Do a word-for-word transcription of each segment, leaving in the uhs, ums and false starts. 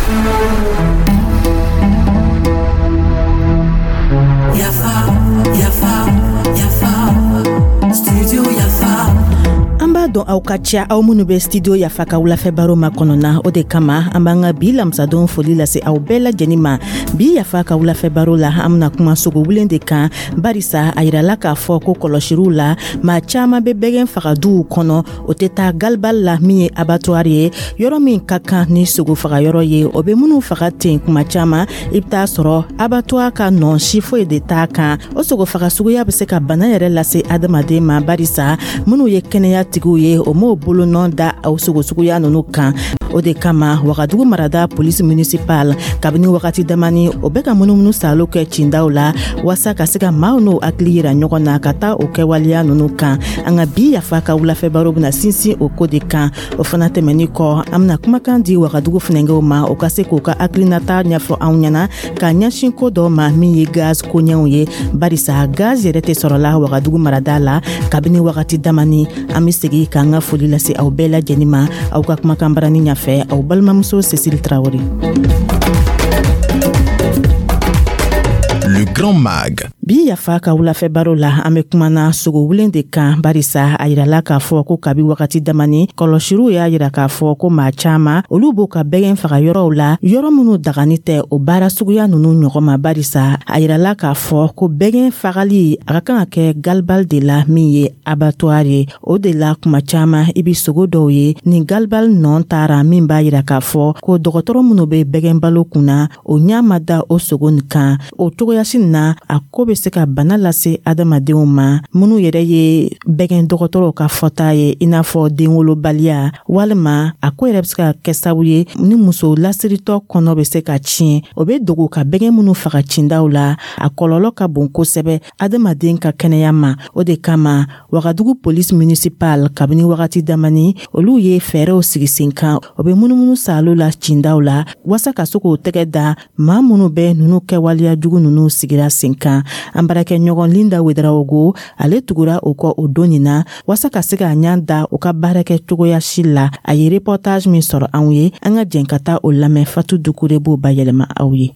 Yafa, yafa, yafa, studio Yafa. An b'a dɔn aw ka ca, aw minnu bɛ Studio Yafa ka wulafɛ baro ma kɔnɔna. O de kama an b'an ka bi lamisadon foli lase aw bɛɛ lajɛlen ma. Bi Yafa ka wulafɛ baro la, an bena kuma sogowulen de kan, barisa a yirala k'a fɔ ko kɔlɔsiriw la, maa caaman be bɛgɛn faga duw kɔnɔ, o tɛ taa galibali la, min ye abattoir ye, yɔrɔ min ka kan ni sogo fagayɔrɔ ye. O be minnu faga ten, kuma caaman i be taa sɔrɔ abattoir ka nɔn si foyi de t'a kan. O sogo faga suguya be se ka bana yɛrɛ lase adamaden ma, barisa minnu ye kɛnɛya tigiw ye, o m'o bolonɔ da aw sogo suguya nunu kan. O de kama Wagadugu marada polisi municipal, kabini wagati damani, o bɛ ka munumunu salo kɛ cindaw la, waasa ka se ka maaw n'o hakili yira ɲɔgɔn na ka taa o kɛwaleya nunu kan. An ka bi Yafa ka wulafɛ baro bena sinsin o ko de kan. O fana tɛmɛni kɔ, an bena kumakan di Wagadugu funɛngɛw ma, o ka se k'u ka hakilinata ɲɛfɔ anw ɲɛna ka ɲɛsin ko dɔ ma, min ye gaz koɲɛw ye, barisa gaz yɛrɛ tɛ sɔrɔla Wagadugu marada la kabini wagati damani. An be segi k'an ka foli lase aw bɛɛ lajɛnin ma. Aw ka kumakan barani ɲafɛ, aw balimamuso Cécile Traoré. Le Grand Mag. Bi Yafa ka wulafɛ baro la, an be kumana sogowulen de kan, barisa a yirala k'a fɔ ko kabi wagati damani, kɔlɔsiriw y'a yira k'a fɔ ko maa caaman, olu b'u ka bɛgɛn faga yɔrɔw la, yɔrɔ minnu dagani tɛ o baara suguya nunu ɲɔgɔn ma, barisa a yirala k'a fɔ ko bɛgɛn fagali, a ka kan ka kɛ galibali de la, min ye abattoir ye. O de la kuma caaman i bi sogo dɔw ye ni galibali nɔn taara, min b'a yira k'a fɔ ko dɔgɔtɔrɔ minnu be bɛgɛn balo kunna, o ɲa ma da o sogo nin kan. O cogoyasi na, a ko be se ka bana lase adamadenw ma, minnu yɛrɛ ye bɛgɛn dɔgɔtɔrɔw ka fɔta ye, i n'a fɔ denwolobaliya, walima a ko yɛrɛ be se ka kɛ sababu ye ni muso lasiritɔ kɔnɔ be se ka tiɲɛ. O be dogo ka bɛgɛn minnu faga cindaw la, a kɔlɔlɔ ka bon kosɛbɛ adamaden ka kɛnɛya ma. O de kama Wagadugu polisi municipal, kabini wagati damani, olu ye fɛɛrɛw sigi sen kan. O be munumunu salo la cindaw la, waasa ka se k'o tɛgɛ da maa minnu bɛ nunu kɛwaleya jugu nunu sigira sen kan. An baarakɛɲɔgɔn Linda Wedarawogo, ale tugura o kɔ o don nin na, waasa ka se k'a ɲa da o ka baarakɛ cogoya si la. A ye reportage min sɔrɔ anw ye, an ka jɛn ka taa o lamɛn. Fatu Dukure b'o bayɛlɛma aw ye.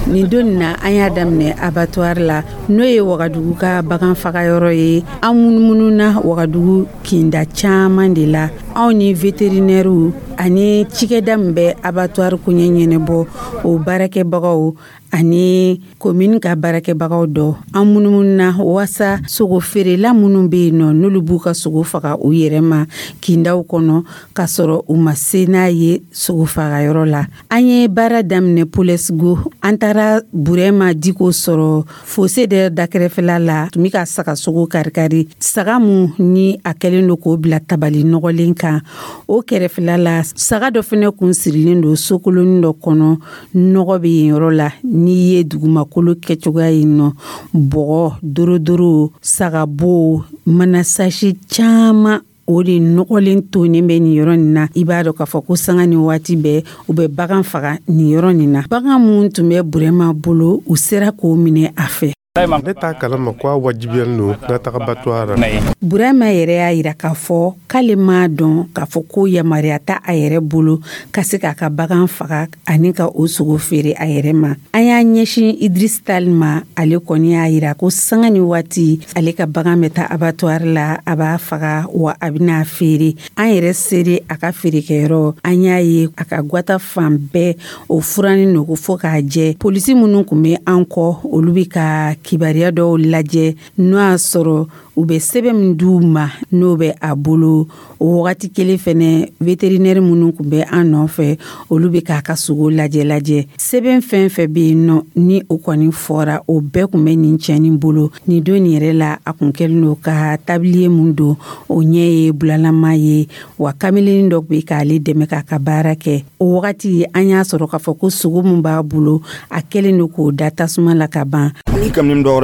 Nin don nin na, an y'a daminɛ abattoir la, n'o ye Wagadugu ka bagan fagayɔrɔ ye. An munumununa Wagadugu kinda caman de la. Anw ni véterinairew ani cikɛda min bɛ abattoir koɲɛ ɲɛnɛbɔ, o baarakɛbagaw ani komini ka baarakɛbagaw dɔ, an munumununa waasa sogo feerela minnu bɛ yen nɔ, n'olu b'u ka sogo faga u yɛrɛ ma kindaw kɔnɔ, k'a sɔrɔ u ma se n'a ye sogo fagayɔrɔ la. An ye baara daminɛ Polesgo. An taara Burɛma Diko sɔrɔ fose dɛ dakɛrɛfɛla la, tun bɛ ka saga sogo karikari, saga mun ni a kɛlen don k'o bila tabali nɔgɔlen kan. O kɛrɛfɛla la, saga dɔ fɛnɛ kun sirilen don sokolonin dɔ kɔnɔ, nɔgɔ bɛ yen yɔrɔ la. N'i ye dugumakolo kɛcogoya yen nɔ, bɔgɔ dorodoro, sagabo, manasasi caman, o de nɔgɔlen tonen bɛ nin yɔrɔ nin na. I b'a dɔn k'a fɔ ko sanga ni waati bɛɛ, u bɛ bagan faga nin yɔrɔ nin na. Bagan mun tun bɛ Burɛma bolo, u sera k'o minɛ a fɛ. Ne t'a kalama ko a wajibiyalen don n ka taga abattoir la. Burama yɛrɛ y'a yira k'a fɔ k'ale m'a dɔn k'a fɔ ko yamaruya t'a a yɛrɛ bolo ka se k'a ka bagan faga ani ka o sogo feere a yɛrɛ ma. An y'a ɲɛsin Idris Tal ma. Ale kɔni y'a yira ko sanga ni waati, ale ka bagan bɛ taa abattoir la, a b'a faga wa a bɛna feere. An yɛrɛ sere a ka feerekɛyɔrɔ, an y'a ye a ka gwata fan bɛɛ, o furanin don fo k'a jɛ. Polisi minnu kun bɛ an kɔ, olu bɛ ka kibaruya dɔw lajɛ, n'o y'a sɔrɔ u bɛ sɛbɛn min d'u ma, n'o bɛ a bolo. O wagati kelen fɛnɛ, vétérinaire minnu kun bɛ an nɔfɛ, olu bɛ k'a ka sogo lajɛ lajɛ. Sɛbɛn fɛn fɛn bɛ yen nɔ ni o kɔni fɔra, o bɛɛ kun bɛ nin cɛnin bolo. Nin don nin yɛrɛ la, a kun kɛlen don ka tablier mun don, o ɲɛ ye bulalama ye, wa kameleni dɔ bɛ k'ale dɛmɛ k'a ka baara kɛ. O wagati, an y'a sɔrɔ k'a fɔ ko sogo min b'a bolo, a kɛlen don k'o da tasuma la ka ban.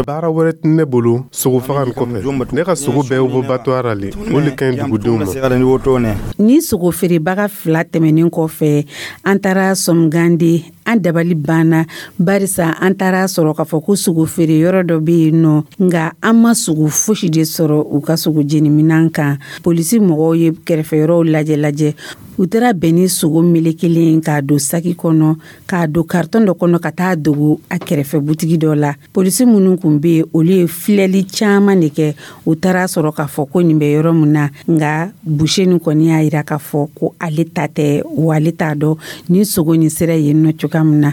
Baara wɛrɛ tɛ ne bolo sogo faga nin kɔfɛ. Ne ka sogo bɛɛ bɔ abattoir la le, o le ka ɲi dugudenw ma. Ni sogo feerebaga fila tɛmɛnen kɔfɛ, an taara Sɔmgande. An dabali banna, barisa an taara sɔrɔ k'a fɔ ko sogo feere yɔrɔ dɔ bɛ yen nɔ, nka an ma sogo fosi de sɔrɔ u ka sogo jeniminan kan. Polisi mɔgɔw ye kɛrɛfɛ yɔrɔw lajɛ lajɛ, u taara bɛn ni sogo melekelen k'a don saki kɔnɔ, k'a don karitɔn dɔ kɔnɔ, ka taa dogo a kɛrɛfɛ butigi dɔ la. Polisi minnu kun bɛ yen, olu ye filɛli caman de kɛ. U taara sɔrɔ k'a fɔ ko nin bɛ yɔrɔ min na, nka boucher nin kɔni y'a yira k'a fɔ ko ale ta tɛ, wa ale t'a dɔn ni sogo nin sera yen nɔ cogoya min na.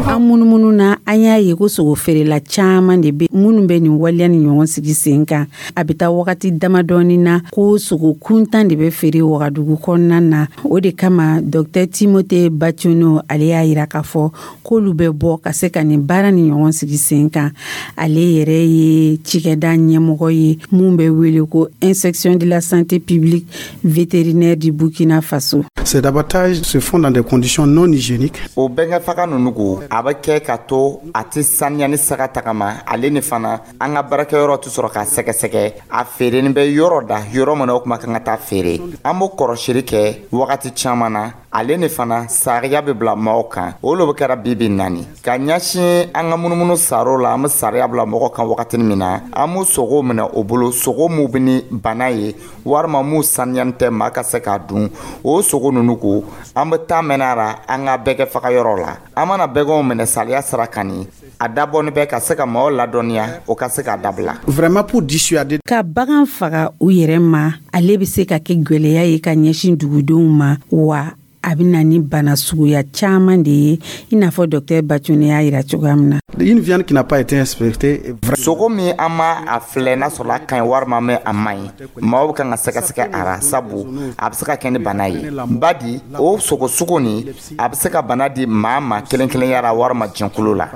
An munumunu na, an y'a ye ko sogo feerela caman de bɛ minnu bɛ nin waleya ni ɲɔgɔn sigi sen kan. A bɛ taa wagati damadɔni na ko sogo kuntan de bɛ feere Wagadugu kɔnɔna na. O de kama, Docteur Timothée Bationo, ale y'a yira k'a fɔ k'olu bɛ bɔ ka se ka nin baara ni ɲɔgɔn sigi sen kan. Ale yɛrɛ ye cikɛda ɲɛmɔgɔ ye mun bɛ wele ko Inspection de la santé publique vétérinaire du Burkina Faso. Ces abattages se font dans des conditions non hygiéniques. O bɛnkɛ faga ninnu ko a bɛ kɛ ka to a tɛ saniya ni saga tagama. Ale ni fana, an ka baarakɛyɔrɔ tɛ sɔrɔ k'a sɛgɛsɛgɛ a feereni bɛ yɔrɔ da yɔrɔ min na, o kuma kan ka taa feere. An b'o kɔrɔsiri kɛ wagati caman na. Ale ni fana, sariya bɛ bila maaw kan. O lo bɛ kɛra bibi naani ka ɲɛsin an ka munumunu saro la. An bɛ sariya bila mɔgɔ kan wagati min na, an b'u sogo minɛ o bolo, sogo mun bɛ ni bana ye walima mun saniyani tɛ maa ka se k'a dun. O sogo ninnu ko, an bɛ taa mɛnɛ a la an ka bɛɛ kɛ faga yɔrɔ la. An mana bɛgɛnw minɛ sariya sira kan, ni a dabɔni bɛ ka se ka maaw ladɔnniya, o ka se k'a dabila. Vraiment pour dissuader. Ka bagan faga u yɛrɛ ma, ale bɛ se ka kɛ gwɛlɛya ye ka ɲɛsin dugudenw ma, wa a bɛ na ni bana suguya caman de ye, i n'a fɔ docteur Bacone y'a yira cogoya min na. Une viande qui n'a pas été inspectée. Sogo min an ma a filɛ n'a sɔrɔ a ka ɲi walima mɛ a man ɲi, maaw bɛ kan ka sɛgɛsɛgɛ a ra, sabu a bɛ se ka kɛ ni bana ye. Badi o sogo sugu nin, a bɛ se ka bana di maa ma kelen kelenya la walima jɛnkulu la.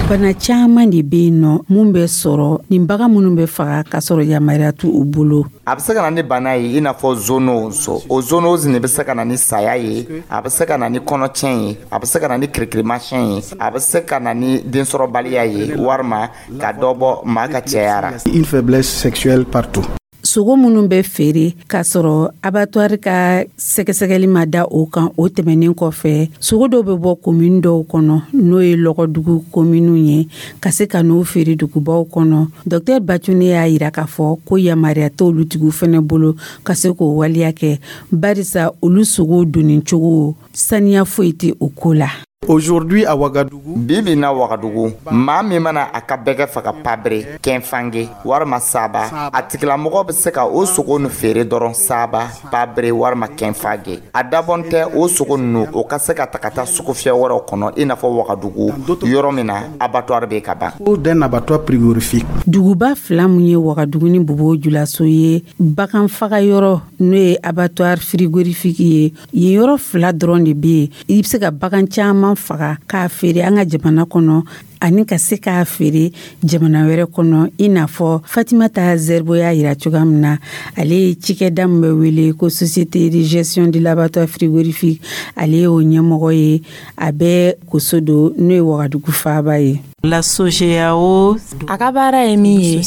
Bana caman de bɛ yen nɔ mun bɛ sɔrɔ nin bagan minnu bɛ faga k'a sɔrɔ yamaruya t'u u bolo. A bɛ se ka na ni bana ye, i n'a fɔ zoonose. O zoonose nin bɛ se ka na ni saya ye, a bɛ se ka na ni kɔnɔtiɲɛ ye, a bɛ se ka na ni kirikirimasiyɛn ye, a bɛ se ka na ni densɔrɔbaliya ye, walima ka dɔ bɔ maa ka cɛya ra. Une faiblesse sexuelle partout. Sogo minnu bɛ feere k'a sɔrɔ abattoir ka sɛgɛsɛgɛli ma da o kan, o tɛmɛnen kɔfɛ, sogo dɔw bɛ bɔ komini dɔw kɔnɔ, n'o ye lɔgɔdugu kominiw ye, ka se ka n'o feere dugubaw kɔnɔ. Docteur Bacone y'a yira k'a fɔ ko yamaruya t'olu tigiw fɛnɛ bolo ka se k'o waleya kɛ, barisa olu sogow donni cogo, saniya foyi tɛ o ko la. Aujourd'hui à Ouagadougou, Bi bi na Wagadugu, maa min mana a ka bɛgɛ faga Pabere, Kɛnfange walima Saba, a tigilamɔgɔ bɛ se ka o sogo nin feere dɔrɔn Saba, Pabere walima Kɛnfange. A dabɔn tɛ o sogo ninnu o ka se ka ta ka taa sugufiyɛ wɛrɛw kɔnɔ, i n'a fɔ Wagadugu, yɔrɔ min na abattoir bɛ ka ban. D'un abattoir frigorifique. Duguba fila mun ye Wagadugu ni Bobo Julaso ye, bagan faga yɔrɔ n'o ye abattoir frigorifique ye, yen yɔrɔ fila dɔrɔn de bɛ yen. I bɛ se ka bagan caman faga k'a feere an ka jamana kɔnɔ ani ka se k'a feere jamana wɛrɛ kɔnɔ, i n'a fɔ Fatimata Zerbo y'a yira cogoya min na. Ale ye cikɛda min bɛ wele ko Société de gestion de l'abattoir frigorifique, ale y'o ɲɛmɔgɔ ye. A bɛ Kosodo, n'o ye Wagadugu faaba ye. La SOGEAO, A ka baara ye min ye,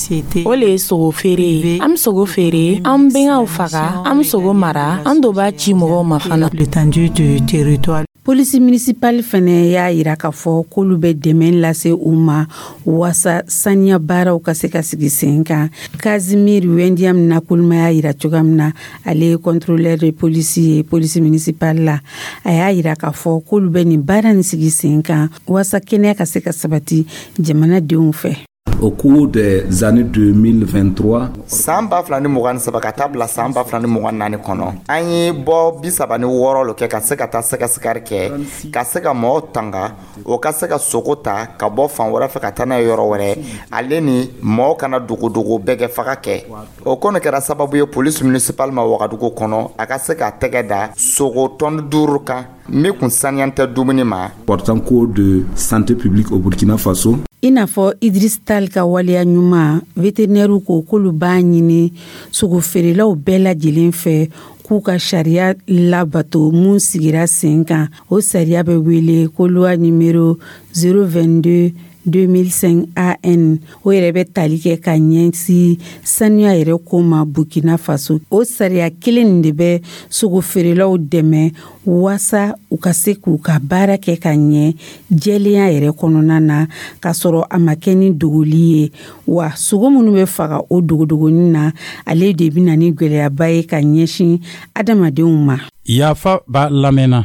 o le ye sogo feere ye. An be sogo feere, an bɛngaw faga, an be sogo mara, an do b'a ci mɔgɔw ma fana. L'étendue du territoire. Polisi municipale fɛnɛ y'a yira k'a fɔ k'olu bɛ dɛmɛ lase u ma waasa saniya baaraw ka se ka sigi sen kan. Kazimir Wendiam Nakuluma y'a yira cogoya min na, ale ye contrôleur de polisi ye polisi municipale la. A y'a yira k'a fɔ k'olu bɛ nin baara nin sigi sen kan waasa kɛnɛya ka se ka sabati jamanadenw fɛ. Au cours des années deux mille vingt-trois, San ba fila ni mugan ni saba ka taa bila san ba fila ni mugan naani kɔnɔ, an ye bɔ bi saba ni wɔɔrɔ lo kɛ ka se ka taa sɛgɛsɛgɛri kɛ, ka se ka mɔgɔw tanga o ka se ka sogo ta ka bɔ fan wɛrɛ fɛ ka taa n'a ye yɔrɔ wɛrɛ, ale ni mɔgɔw kana dogodogo bɛɛ kɛ faga kɛ. O ko nin kɛra sababu ye polisi municipal ma Wagadugu kɔnɔ, a ka se ka tɛgɛ da sogo tɔni duuru kan min kun saniyan tɛ dumuni ma. Portant code de santé publique au Burkina Faso. I n'a fɔ Idris Tal ka waleya ɲuman, vétérinaire ko k'olu b'a ɲini sogo feerelaw bɛɛ lajɛlen fɛ k'u ka sariya labato mun sigira sen kan. O sariya bɛ wele ko loi numéro zéro vingt-deux deux mille cinq A N, o yɛrɛ bɛ tali kɛ ka ɲɛsin sanuya yɛrɛ ko ma Burkina Faso. O sariya kelen nin de bɛ sogo feerelaw dɛmɛ waasa u ka se k'u ka baara kɛ ka ɲɛ jɛlenya yɛrɛ kɔnɔna na, k'a sɔrɔ a ma kɛ ni dogoli ye. Wa sogo minnu bɛ faga o dogodogonin na, ale de bɛ na ni gwɛlɛyaba ye ka ɲɛsin adamadenw ma. Yafa b'a lamɛnna.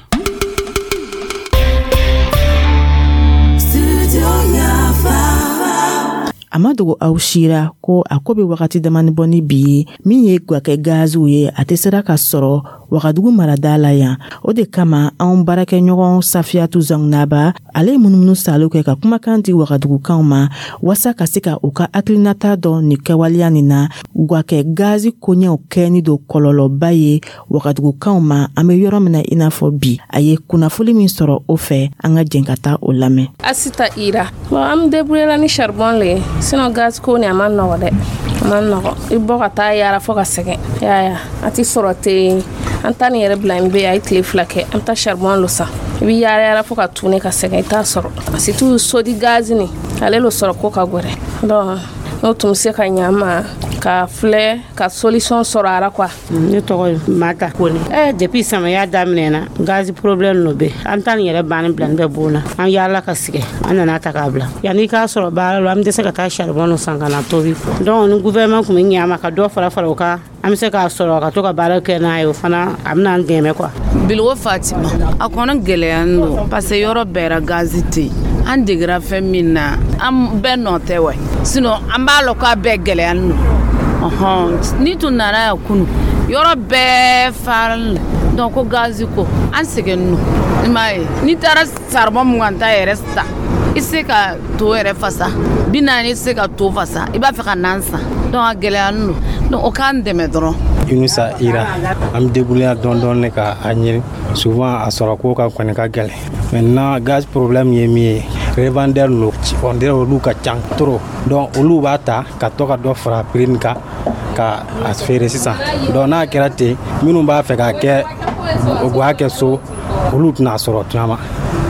A ma dogo aw sira ko a ko be wagati damani bɔ ni bi ye, min ye gwakɛ gaziw ye, a tɛ sera ka sɔrɔ Wagadugu marada la yan. O de kama, anw baarakɛɲɔgɔn Safiyatu Zangunaba, ale ye munumunu salo kɛ ka kumakan di Wagadugukanw ma, waasa ka se ka u ka hakilinata dɔn nin kɛwaleya nin na. Gwakɛ gazi koɲɛw kɛni don kɔlɔlɔba ye Wagadugukanw ma an be yɔrɔ min na i n'a fɔ bi. A ye kunnafoli min sɔrɔ o fɛ, an ka jɛn ka taa o lamɛn. Asita Ira. Bon, an débrouiller la ni charbon le ye, sinon gaz ko ni a ma nɔgɔ dɛ, a ma nɔgɔ. I bɔ ka taa yaara fo ka sɛgɛn yaya, a ti sɔrɔ ten. An ta nin yɛrɛ bila in bɛ yen, a ye tile fila kɛ, an bɛ taa charbon lo san. I bɛ yaara yaara fo ka tune ka sɛgɛn, i t'a sɔrɔ. Surtout sodi gaz ni, ale lo sɔrɔ ko ka gwɛrɛ. Donc n'o tun bɛ se ka ɲɛ an ma ka filɛ ka solution sɔrɔ a la quoi. Ne tɔgɔ ye Mata Kone. Eh, depuis samiya daminɛna, gazi problème no bɛ an ta nin yɛrɛ banni bila bɛ bon na. An yaala ka sigɛ, an nana ta k'a bila. Yanni k'a sɔrɔ baara la, an tɛ se ka taa charbon san ka na tobi. Donc ni gouvernement tun bɛ ɲɛ a ma ka dɔ fara fara o kan, an bɛ se k'a sɔrɔ ka to ka baara kɛ n'a ye, o fana a bɛna an dɛmɛ quoi. Bilgo Fatima. A kɔnɔ gɛlɛya don, parce que yɔrɔ bɛɛ ra gazi tɛ yen. An degera fɛn min na, an bɛɛ nɔ tɛ wɛ, sinon an b'a lɔn k'a bɛɛ gɛlɛya don. Ɔhɔn, ni tun nana yan kunu, yɔrɔ bɛɛ faralen donc ko gazi ko an sɛgɛnnen don. I m'a ye, n'i taara charbon mugan ta yɛrɛ san, i tɛ se ka to yɛrɛ fasa, bi naani, i tɛ se ka to fasa, i b'a fɛ ka nan san. Donc a gɛlɛyalen don, donc o k'an dɛmɛ dɔrɔn. Inusa Ira. An bɛ débrouiller dɔɔni dɔɔni ka a ɲini. Souvent a sɔrɔ ko ka kɔni ka gɛlɛn. Maintenant, gaz problème ye min ye, revendeur ninnu, on dirait olu ka ca trop. Donc olu b'a ta ka to ka dɔ fara prix nin kan ka a feere sisan. Donc n'a kɛra ten, minnu b'a fɛ k'a kɛ u b'a kɛ so, olu tɛna sɔrɔ caman.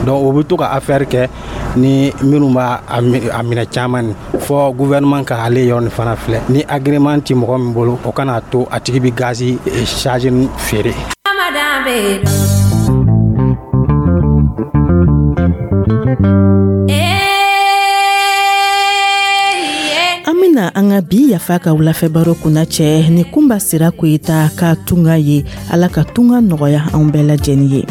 Donc o bɛ to ka affaire kɛ ni minnu b'a a minɛ caman ni fɔ. Gouvernement ka ale yɔrɔ nin fana filɛ, ni agrément ti mɔgɔ min bolo, o kana to a tigi bɛ gazi charge feere. An bena an ka bi Yafa ka wulafɛ baro kunna cɛ ni Kunba Sira Koyita ka tunga ye. Ala ka tunga nɔgɔya anw bɛɛ lajɛnin ye.